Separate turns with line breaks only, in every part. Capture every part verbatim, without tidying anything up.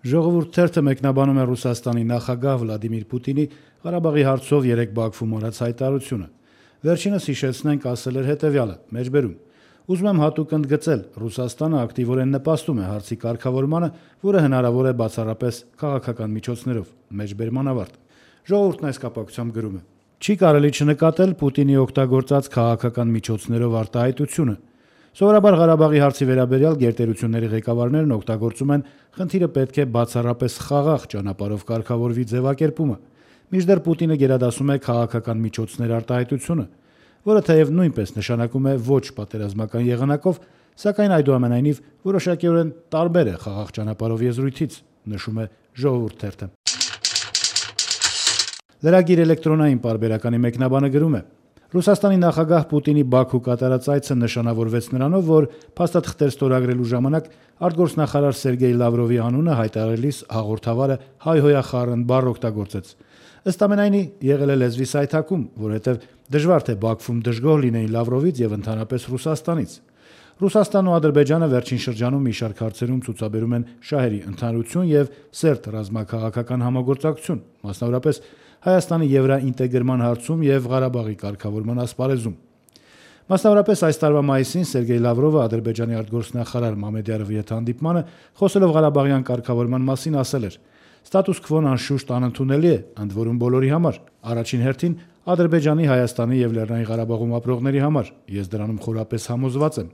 Ժողովուրդ թերթը մեկնաբանում է Ռուսաստանի նախագահ Վլադիմիր Պուտինի Ղարաբաղի հարցով երեկ Բաքվում արած հայտարարությունը։ Վերջինս հիշեցնենք ասել էր հետևյալը. մեջբերում. «Ուզում եմ հատուկ ընդգծել, Ռուսաստանը ակտիվորեն նպաստում է հարցի կարգավորմանը, որը հնարավոր է բացառապես քաղաքական միջոցներով»։ Մեջբերման ավարտ։ Ժողովուրդն այս կապակցությամբ գրում է. «Չի կարելի չնկատել Պուտինի օգտագործած քաղաքական միջոցներով արտահայտությունը։ Սովորաբար Ղարաբաղի հարցի վերաբերյալ գերտերությունների ղեկավարներն օգտագործում են խնդիրը պետք է բացառապես խաղաղ ճանապարհով կարգավորվի ձևակերպումը, մինչդեռ Պուտինը գերադասում է քաղաքական միջոցներ արտահայտությունը, որը թեև նույնպես նշանակում է ոչ պատերազմական եղանակով, սակայն այդուամենայնիվ որոշակիորեն տարբեր է խաղաղ ճանապարհով եզրույթից», նշում է Ժողովուրդ թերթը։ Lragir էլեկտրոնային պարբերականի մեկնաբանը գրում է. «Ռուսաստանի նախագահ Պուտինի Բաքու կատարած այցը նշանավորվեց նրանով, որ փաստաթղթեր ստորագրելու ժամանակ արտգործնախարար Սերգեյ Լավրովի անունը հայտարարելիս հաղորդավարը հայհոյախառն բառ օգտագործեց։ Ըստ ամենայնի եղել է լեզվի սայթաքում, որովհետև դժվար թե Բաքվում դժգոհ լինեին Լավրովից եւ ընդհանրապես Ռուսաստանից։ Ռուսաստանն ու Ադրբեջանը վերջին շրջանում մի շարք հարցերում ցուցաբերում են շահերի ընդհանրություն եւ սերտ ռազմաքաղաքական համագործակցություն, մասնավորապես Հայաստանի եվրաինտեգրման հարցում եւ Ղարաբաղի կարգավորման ասպարեզում։ Մասնավորապես այս տարվա մայիսին Սերգեյ Լավրովը Ադրբեջանի արտգործնախարար Մամեդյարովի հետ հանդիպմանը խոսելով Ղարաբաղյան կարգավորման մասին ասել էր. «Ստատուս քվոն անշուշտ անընդունելի է, ընդ որում բոլորի համար, առաջին հերթին Ադրբեջանի, Հայաստանի եւ Լեռնային Ղարաբաղում ապրողների համար, ես դրանում խորապես համոզված եմ։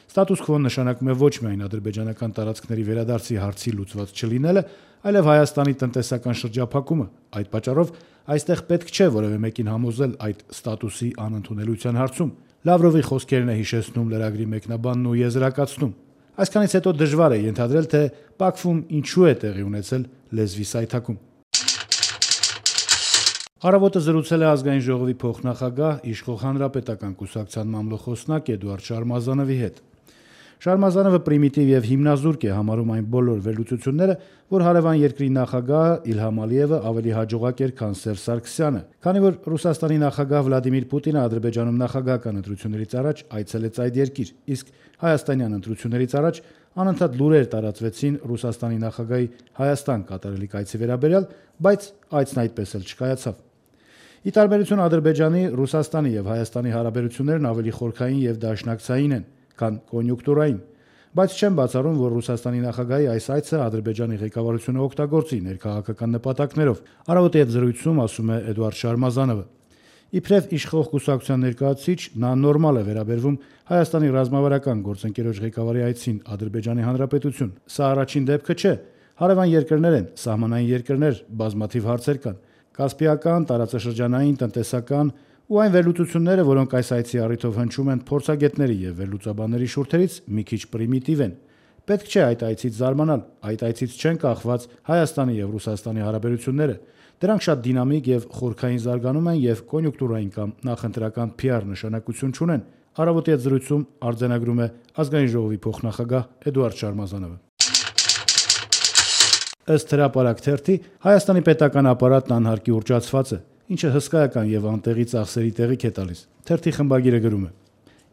Ստատուս քվոն նշանակում է ոչ միայն ադրբեջանական տարածքների վերադարձի հարցի լուծված չլինելը, այլև Հայաստանի տնտեսական շրջափակումը։ Այդ պատճառով այստեղ պետք չէ որևէ մեկին համոզել այդ ստատուսի անընդունելության հարցում»։ Լավրովի խոսքերն է հիշեցնում լրագրի մեկնաբանն ու եզրակացնում. «Այսքանից հետո դժվար է ենթադրել, թե Բաքվում ինչու է տեղի ունեցել լեզվի սայթաքում»։ Առավոտը զրուցել է Ազգային ժողովի փոխնախագահ, իշխող Հանրապետական կուսակցության մամլոխոսնակ Էդուարդ Շարմազանովի հետ։ Շարմազանովը պրիմիտիվ եւ հիմնազուրկ է համարում այն բոլոր վերլուծությունները, որ հարևան երկրի նախագահը Իլհամ Ալիևը ավելի հաջողակ էր, քան Սերժ Սարգսյանը, քանի որ Ռուսաստանի նախագահ Վլադիմիր Պուտինը Ադրբեջանում նախագահական ընտրություններից առաջ այցելեց այդ երկիր, իսկ հայաստանյան ընտրություններից առաջ անընդհատ լուրեր տարածվեցին Ռուսաստանի նախագահի Հայաստան կատարելիք այցի վերաբերյալ, բայց այցն այդպես էլ չկայացավ։ Ի տարբերություն Ադրբեջանի, Ռուսաստանի եւ Հայաստանի հարաբերություններն ավելի խորքային եւ դաշնակցային են, քան կոնյունկտուրային, բայց չեմ բացառում, որ Ռուսաստանի նախագահի այս այցը Ադրբեջանի ղեկավարությունը օգտագործի ներքաղաքական նպատակներով։ Առավոտի հետ զրույցում ասում է Էդուարդ Շարմազանովը. «Իբրև իշխող կուսակցության ներկայացուցիչ նա նորմալ է վերաբերվում Հայաստանի ռազմավարական գործընկերոջ ղեկավարի այցին Ադրբեջանի Հանրապետություն։ Սա առաջին դեպքը չէ։ Հարևան երկրներ են, սահմանային երկրներ, բազմաթիվ հարցեր կան։ Կասպիական, տարածաշրջանային, տնտեսական ու այն վերլուծությունները, որոնք այս այցի առիթով հնչում են փորձագետների եւ վերլուծաբանների շուրթերից, մի քիչ պրիմիտիվ են։ Պետք չէ այդ այցից զարմանալ, այդ այցից չեն կախված Հայաստանի եւ Ռուսաստանի հարաբերությունները։ Դրանք շատ դինամիկ եւ խորքային զարգանում են եւ կոնյունկտուրային կամ նախընտրական Փի Ար նշանակություն չունեն»։ Առավոտի հետ զրույցում արձանագրում է Ազգային ժողովի փոխնախագահ Էդուարդ Շարմազանովը։ Ըստ հրապարակ թերթի Հայաստանի պետական ապարատն անհարկի ուռճացված է, ինչը հսկայական եւ անտեղի ծախսերի տեղիք է տալիս։ Թերթի խմբագիրը գրում է.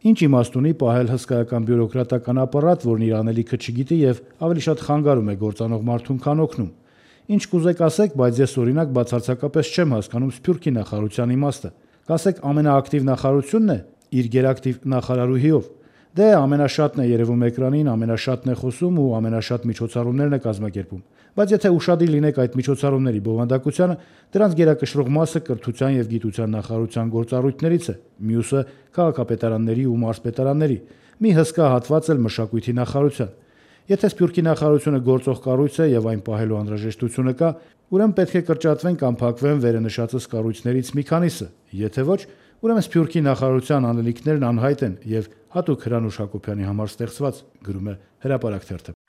«Ինչ իմաստ ունի պահել հսկայական բյուրոկրատական ապարատ, որն իր անելիքը չգիտի եւ ավելի շատ խանգարում է գործանող մարդուն, քան օգնում։ Ինչ կուզեք ասեք, բայց ես օրինակ բացարձակապես չեմ հասկանում Սփյուռքի նախարարության իմաստը։ Կասեք ամենաակտիվ նախարարությունն է իր գերակտիվ նախարարուհիով։ Դե ամենաշատն է երևում էկրանին, ամենաշատն է խոսում ու ամենաշատ միջոցառումներն է կազմակերպում։ Բայց եթե ուշադիր լինեք այդ միջոցառումների բովանդակությանը, դրանց գերակշռող մասը կրթության եւ գիտության նախարարության գործառույթներից է, մյուսը քաղաքապետարանների ու մարզպետարանների, մի հսկա հատված էլ մշակույթի նախարարության։ Եթե Սփյուռքի նախարարությունը գործող կառույց է եւ այն պահելու անհրաժեշտությունը կա, ուրեմն պետք է կրճատվեն կամ փակվեն վերընշածս կառույցներից մի քանիսը, եթե ոչ, ուրեմն Սփյուռքի նախարարության անելիքներն անհայտ են եւ հատուկ Հրանուշ Հակոբյանի համար ստեղծված», գրում է հրապարակ թերթը։